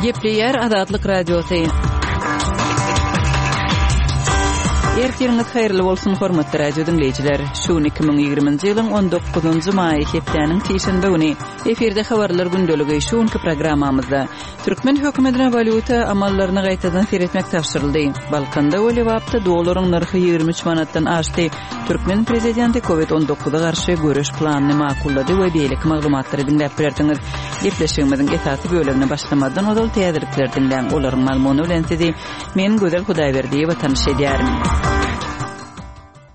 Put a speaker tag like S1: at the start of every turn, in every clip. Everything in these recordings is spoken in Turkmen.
S1: Gepleýär Azatlyk Radiosy. Ertiriňiz haýyrly bolsun, hormatly radio diňleýjiler. Şu gün 2020-nji ýylyň 19-njy maýy hepdäniň sişenbe güni. Efirde habarlar gündeligi şu günki programmamyzda. Türkmen hökümetine walýuta amallaryny gaýtadan seretmek tabşyryldy. Balkanda we Lebapda dollaryň nyrhy 23 manatdan aşdy. Türkmen prezidenti Covid 19 garşy göreş planyny makullady we beýleki maglumatlary diňläp bilersiňiz. Gepleşigimiziň esasy bölegine başlamazdan ozal täzelikleri diňläň. Olaryň mazmuny bilen sizi men Gözel Hudaýberdiýewa tanyş edýärin.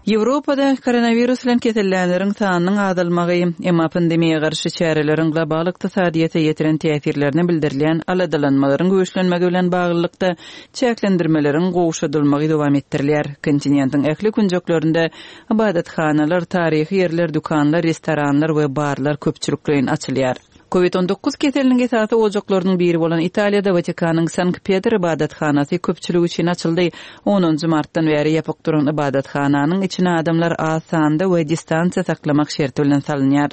S1: Ýewropada koronawirus bilen kesellänleriň sanynyň azalmagy, emma pandemiýa garşy çäreleriň global ykdysadyýete ýetiren täsirlerine bildirilýän aladalanmalaryň güýçlenmegi bilen baglylykda, çäklendirmeleriň gowşadylmagy dowam etdirilýär. Kontinentiň ähli künjeklerinde ybadathanalar, taryhy ýerler, dükanlar, restoranlar we barlar köpçülikleýin açylýar. Covid 19 keseliniň esasy ojaklarynyň biri bolan Italiýada Watikanyň Sankt-Petr ybadathanasy köpçülik üçin açyldy. Onunjy martdan bäri ýapyk duran ybadathananyň içine adamlar az sanda we distansiýa saklamak şerti bilen salynýar.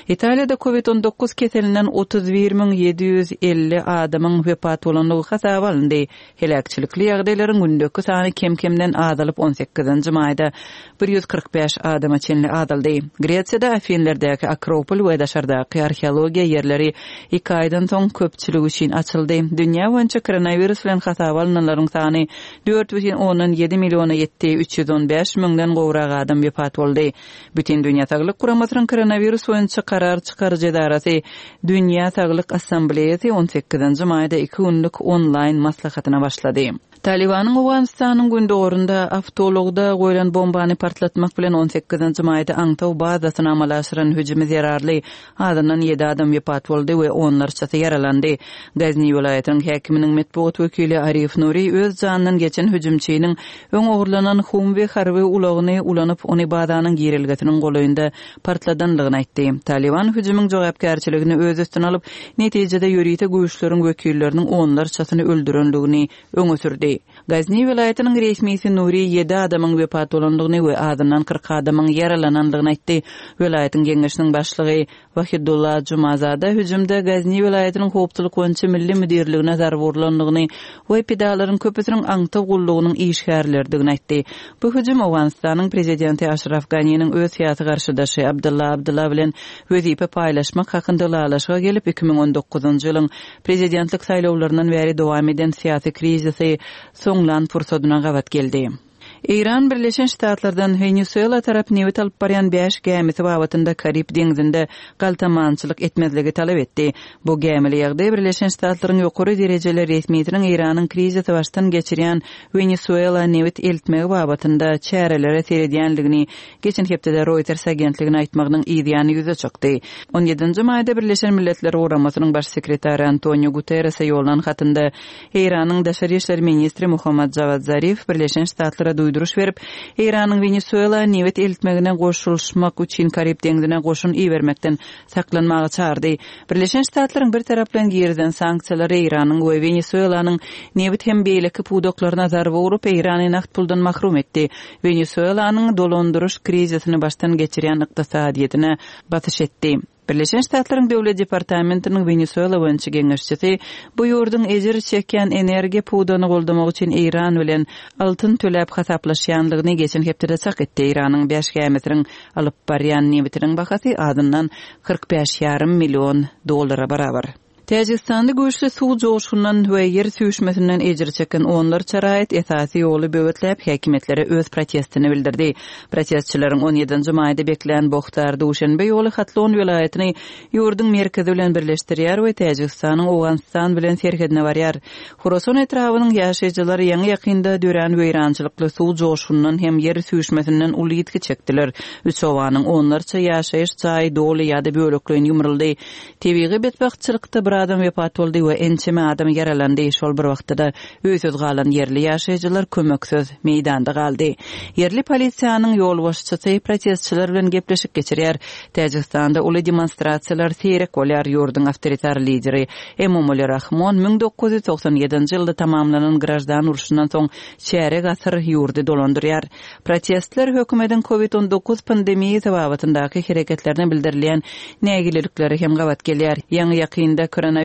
S1: Italiýada Covid 19 keselinden 31 750 adamyň wepat bolandygy hasaba alyndy. Heläkçilikli ýagdaýlaryň gündeki sany kem-kemden azalyp, on sekizinji maýda 145 adama çenli azaldy. Gresiýada Afinlerdäki Akropol we daşardaky arheologiýa ýerleri iki aýdan soň köpçülik üçin açyldy. Dünýä boýunça koronawirus bilen hasaba alnanlaryň sany 4,7 milliona ýetdi, 315 müňden gowrak adam wepat boldy. Bütindünýä Saglyk Guramasynyň koronawirus boýunça karar çykaryjy edarasy Dünýä Saglyk Assambleýasy on sekizinji maýda iki günlük onlaýn maslahatyna başlady. Talybanyň Owganystanyň gündogarynda awtoulagda goýlan bombany partlatmak bilen on sekizinji maýda aňtaw bazasyna amala aşyran hüjümi zerarly azyndan ýedi adam wepat boldy we onlarçasy ýaralandy. Gazni welaýatynyň häkiminiň metbugat wekili Arif Nuri öz janyndan geçen hüjümçiniň öň ogurlanan Humwi harby ulagyny ulanyp, ony bazanyň girelgesiniň golaýynda partladandygyny aýtdy. Talyban hüjümiň jogapkärçiligini öz üstüne alyp, netijede ýörite güýçleriň wekilleriniň onlarçasyny öldürendigini öňe sürdi. Gazni welaýatynyň resmisi Nuri ýedi adamyň wepat bolandygyny we azyndan 40 adamyň ýaralanandygyny aýtdy. Welaýatyň geňeşiniň başlygy Wahidulla Jumazada hüjümde Gazni welaýatynyň howpsuzlyk boýunça milli müdirligine zarba urlandygyny we pidalaryň köpüsiniň aňtaw gullugynyň işgärleridigini aýtdy. Bu hüjüm Owganystanyň prezidenti Aşraf Ganiniň öz syýasy garşydaşy Abdylla Abdylla bilen wezipe paýlaşmak hakynda ylalaşyga gelip, 2019-njy ýylyň prezidentlik saýlawlaryndan bäri dowam eden syýasy krizisi soňlan pursadyna gabat geldi. Eýran Birleşen Ştatlardan Wenesuela tarap nebit alyp barýan bäş gämisi babatynda Karib deňzinde galtamançylyk etmezligi talap etdi. Bu gämili ýagdaý Birleşen Ştatlaryň ýokary derejeli resmisiniň Eýranyň krizisi başdan geçirýän Wenesuela nebit eltmegi babatynda çärelere seredýändigini geçen hepdede Reuters agentligine aýtmagynyň yzýany ýüze çykdy. On ýedinji maýda Birleşen Milletler Guramasynyň Baş sekretary Antonio Guterrese ýollan hatynda Eýranyň daşary işler ministri Mohammad Jawad Zarif Birleşen Ştatlara duýduryş berip, Eýranyň Wenesuela nebit eltmegine goşulyşmak üçin Karib deňzine goşun ibermekden saklanmaga çagyrdy. Birleşen Ştatlaryň bir taraplaýyn girizen sanksiýalary Eýranyň we Wenesuelanyň nebit hem beýleki pudaklaryna zarba urup, Eýrany nagt puldan mahrum etdi. Wenesuelanyň dolandyryş krizisini başdan geçirýän ykdysadyýetine basyş etdi. Birleşen Ştatlaryň Döwlet departamentiniň Wenesuela boýunça geňeşçisi bu ýurduň ejir çekýän energiýa pudagyny goldamak üçin Eýran bilen altyn töläp hasaplaşýandygyny geçen hepdede çak etdi. Eýranyň bäş gämisiniň alyp barýan nebitiniň bahasy azyndan 45 ýarym million dollara barabar. Täjigistanda güýçli suw joşgunyndan we ýer süýşmesinden ejir çeken onlarça raýat esasy ýoly böwetläp, häkimiýetlere öz protestini bildirdi. Protestçileriň on ýedinji maýda beklän Bohtar-Duşenbe ýoly Hatlon welaýatyny ýurduň merkezi bilen birleşdirýär we Täjigistanyň Owganystan bilen serhedine barýar. Horasan etrabynyň ýaşaýjylary ýaňy-ýakynda dörän weýrançylykly suw joşgunyndan hem ýer süýşmesinden uly ýitgi çekdiler. Üç obanyň onlarça ýaşaýyş jaýy doly ýa-da bölekleýin ýumruldy. Tebigy betbagtçylykda bir adam wepat boldy we ençeme adam ýaralandy, şol bir wagtda-da öýsüz galan ýerli ýaşaýjylar kömeksiz meýdanda galdy. Ýerli polisiýanyň ýolbaşçysy protestçiler bilen gepleşik geçirýär. Täjigistanda uly demonstrasiýalar seýrek bolýar, ýurduň awtoritar lideri Emomali Rahmon 1997-nji ýylda tamamlanan graždan urşundan soň çärek asyr ýurdy dolandyrýar. Protestler hökümetiň Covid 19 pandemiýasy babatyndaky hereketlerine bildirilýän nägileliklere hem gabat gelýär. Ýaňy-ýakynda koronawirus.